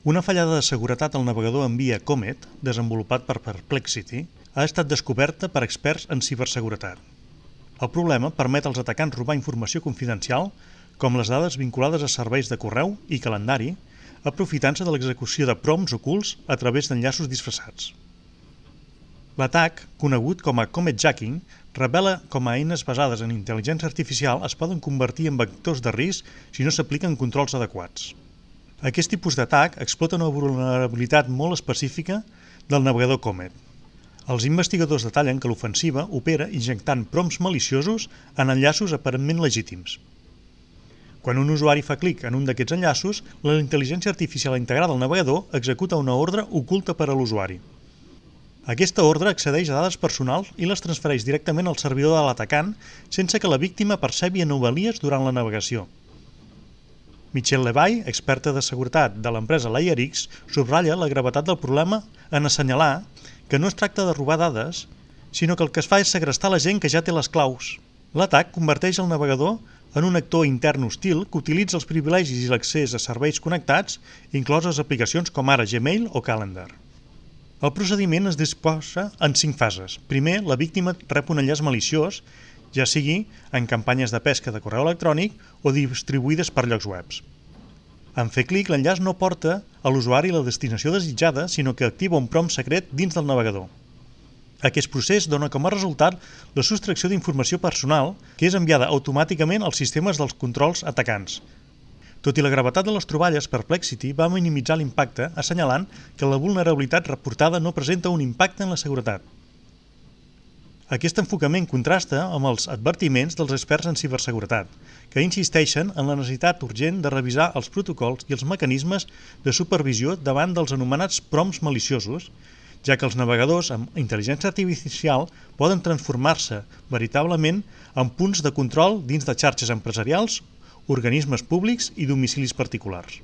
Una fallada de seguretat al navegador en via Comet, desenvolupat per Perplexity, ha estat descoberta per experts en ciberseguretat. El problema permet als atacants robar informació confidencial, com les dades vinculades a serveis de correu i calendari, aprofitant-se de l'execució de prompts ocults a través d'enllaços disfressats. L'atac, conegut com a cometjacking, revela com a eines basades en intel·ligència artificial es poden convertir en vectors de risc si no s'apliquen controls adequats. Aquest tipus d'atac explota una vulnerabilitat molt específica del navegador Comet. Els investigadors detallen que l'ofensiva opera injectant prompts maliciosos en enllaços aparentment legítims. Quan un usuari fa clic en un d'aquests enllaços, la intel·ligència artificial integrada al navegador executa una ordre oculta per a l'usuari. Aquesta ordre accedeix a dades personals i les transfereix directament al servidor de l'atacant sense que la víctima percebi anomalies durant la navegació. Michelle Levy, experta de seguretat de l'empresa LayerX, subratlla la gravetat del problema en assenyalar que no es tracta de robar dades, sinó que el que es fa és segrestar la gent que ja té les claus. L'atac converteix el navegador en un actor intern hostil que utilitza els privilegis i l'accés a serveis connectats, incloses aplicacions com ara Gmail o Calendar. El procediment es disposa en 5 fases. Primer, la víctima rep un enllaç maliciós, ja sigui en campanyes de pesca de correu electrònic o distribuïdes per llocs webs. En fer clic, l'enllaç no porta a l'usuari la destinació desitjada, sinó que activa un prompt secret dins del navegador. Aquest procés dona com a resultat la sostracció d'informació personal que és enviada automàticament als sistemes dels controls atacants. Tot i la gravetat de les troballes, Perplexity va minimitzar l'impacte assenyalant que la vulnerabilitat reportada no presenta un impacte en la seguretat. Aquest enfocament contrasta amb els advertiments dels experts en ciberseguretat, que insisteixen en la necessitat urgent de revisar els protocols i els mecanismes de supervisió davant dels anomenats prompts maliciosos, ja que els navegadors amb intel·ligència artificial poden transformar-se veritablement en punts de control dins de xarxes empresarials, organismes públics i domicilis particulars.